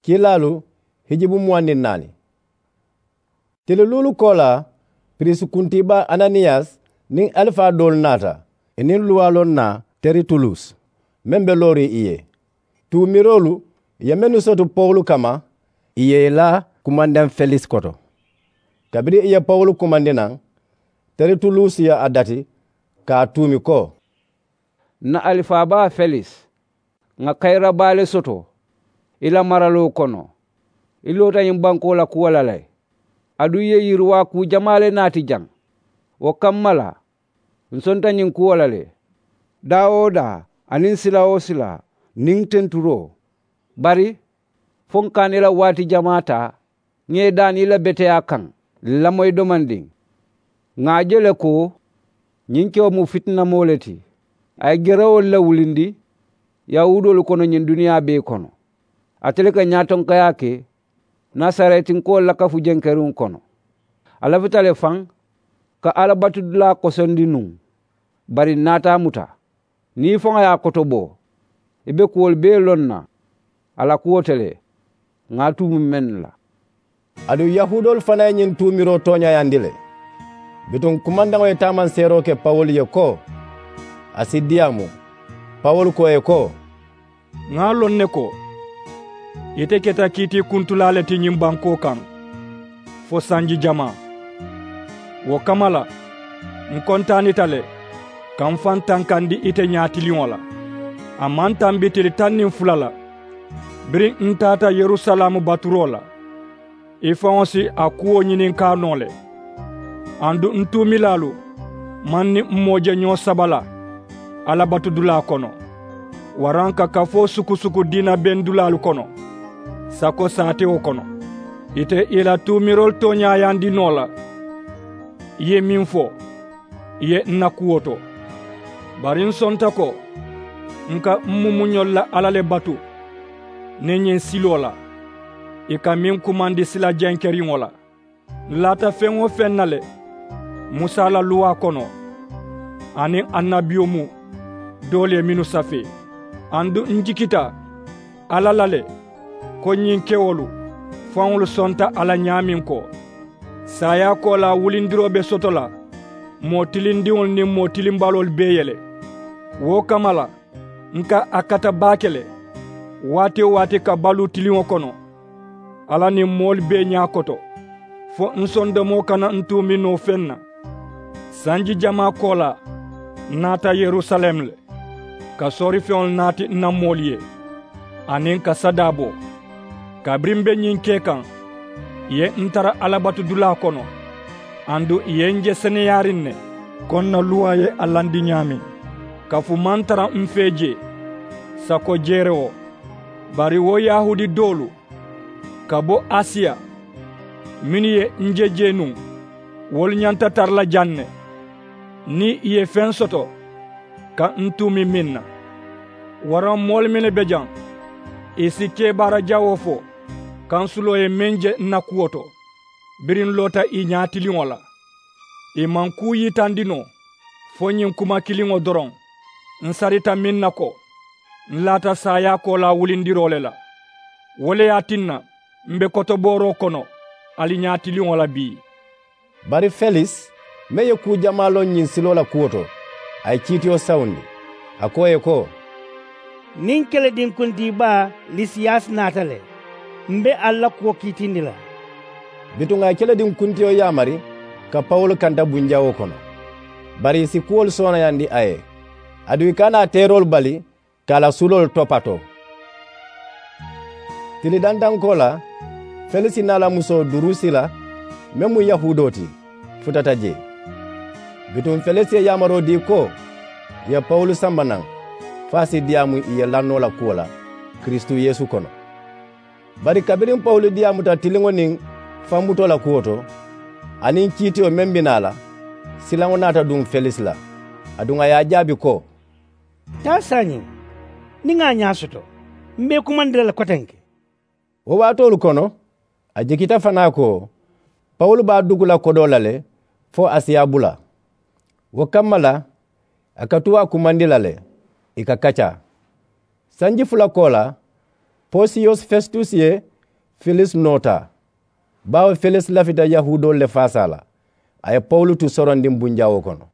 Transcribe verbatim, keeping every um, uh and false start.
Kiilaalu hijibu muwaŋ niŋ naani. Tili luulu koolaa, piriisi kuntiibaa ananiyasi niŋ alifaa doolu naata, ì niŋ luwaaloo naa teritulusi meŋ be looriŋ ì ye. Tuumiroolu ye mennu soto pawulu kamma, ì ye ì laa kumandaŋ felis koto. Kabiriŋ ì ye pawulu kumandi naŋ, teritulusi ye a dati ka a tuumi ko: N na alifaabaa felis, ŋà kayira baa le soto i la maraloo kono. I loota ñiŋ bankoo la kuwo la le, aduŋ i ye yiriwaa kuu jamaa le naati jaŋ. Wo kamma la, ǹ sonta ñiŋ kuwo la le, daa-wo-daa aniŋ sila-wo-sila niŋ tenturoo. Bari fo ǹ ka a niŋ i la waati jamaa taa, ŋà i daani i la beteyaa kaŋ lamoyi domandiŋ. Ŋà a je le ko ñiŋ kewo mu fitinamoo le ti. A ye gerewoolu le wulindi yahuudoolu kono ñiŋ duniyaa bee kono. Ate le ka ñaatonkayaa ke nasaretinkoolu la kafu jenkeriŋo kono. A lafita le faŋ ka alla batudulaa kosondi nuŋ. Bari ǹ naata a muta, niŋ i faŋo ye a kotobo, i be kuwolu bee loŋ na a la kuwo to le, ŋà a tuumu mennu la. Aduŋ yahuudoolu fanaa ye ñiŋ tuumiroo tooñaayandi le. Bituŋ kumandaŋo ye taamanseeroo ke pawulu ye ko a si diyaamu. Pawulu ko ì ye ko: Ŋà a loŋ ne ko ite keta kiitiikuntulaa le ti ñiŋ bankoo kaŋ fo sanji jamaa. Wo kamma la, ǹ kontaanita le ka m̀ faŋ tankandi ite ñaatiliŋo la. A maŋ tambi tili taŋ niŋ fula la, biriŋ ǹ taata yerusalaamu baturoo la, i faŋo si a kuwo ñininkaa noo le. Aduŋ ǹ tuumilaalu maŋ niŋ m̀ moo je ñoo saba la alla batudulaa kono, waraŋ ka kafoo sukusuku diina bendulaalu kono sako saatewo kono. Ite ì la tuumiroolu tooñaayandi noo la, i ye meŋ fo, i ye ǹ na kuwo to. Bari ǹ sonta ko ǹ ka m̀ mumuñolu la alla le batu niŋ ñiŋ siloo la, ì ka meŋ kumandi sila jenkeriŋo la. Ǹ laata feŋ-wo-feŋ na le musa la luwaa kono aniŋ annabiyumu doolu ye mennu safee. Aduŋ ǹ jikita alla la le ko ñiŋ kewolu faŋolu sonta a la ñaameŋ ko saayaa koolaa wulindiroo be soto la moo tilindiŋolu niŋ moo tilimbaloolu bee ye le. Wo kamma la, ǹ ka a kata baake le waati-wo-waati ka baluu tiliŋo kono alla niŋ moolu bee ñaa koto, fo ǹ sondomoo kana ǹ tuumi noo feŋ na. Sanji jamaa koolaa ǹ naata yerusalem le ka soorifeŋolu naati ǹ na moolu ye aniŋ ka sadaa bo. Kabiriŋ m̀ be ñiŋ ke kaŋ, ì ye ǹ tara alla batudulaa kono, aduŋ ì ye ǹ je seneyaariŋ ne ko ǹ na luwaa ye a landi ñaameŋ. Kafu maŋ tara m̀ fee jee sako jeerewo. Bari wo yahuudi doolu ka bo asiya mennu ye ǹ je jee nuŋ, wolu ñanta tara la jaŋ ne niŋ ì ye feŋ soto ka ǹ tuumi meŋ na. Waraŋ moolu mennu be jaŋ, ì si kebaara jawoo fo kansuloo ye meŋ je ǹ na kuwo to, biriŋ ǹ loota ì ñaatiliŋo la. Ì maŋ kuu yitandi noo fo ñiŋ kuma kiliŋo doroŋ, ǹ sarita meŋ na ko ǹ laata saayaa koolaa wulindiroo le la. Wo le ye a tinna m̀ be kotobooroo kono ali ñaatiliŋo la bii. Bari felis meŋ ye kuu jamaa loŋ ñiŋ siloo la kuwo to, a ye kiitiyo sawundi. A ko ì ye ko: Niŋ kelediŋ kuntiibaa lisiyasi naata le, m̀ be ali la kuwo kiitindi la. Bituŋ a ye kelediŋ kuntiyo yaamari ka pawulu kanta bunjawoo kono, bari ì si kuwolu soonayandi a ye, aduŋ ì kana a teeroolu bali ka a la suloolu topatoo. Tili dantankoo la, felisi niŋ a la musoo durusila meŋ mu yahuudoo ti, futata jee. Bituŋ felisi ye yaamaroo dii ko ì ye pawulu samba naŋ, fo a si diyaamu ì ye lannoo la kuwo la kiristu yeesu kono. Bari kabiriŋ pawulu diyaamuta tiliŋo niŋ fanbutoo la kuwo to, aniŋ kiitiyo meŋ be naa la, silaŋo naata duŋ felisi la. Aduŋ a ye a jaabi ko: Taa saayiŋ, niŋ ŋà a ñaa soto, m̀ be i kumandi la le kotenke. Wo waatoolu kono, a jikita fanaa ko pawulu be a dugu la kodoo la le fo a si a bula. Wo kamma la, a ka tuu a kumandi la le ì ka kaccaa. Sanji fula koolaa, posiyos fesitusi ye Felis noota. Baawo felis lafita yahuudoolu le faasaa la, a ye pawulu tu sorondiŋ bunjawoo kono.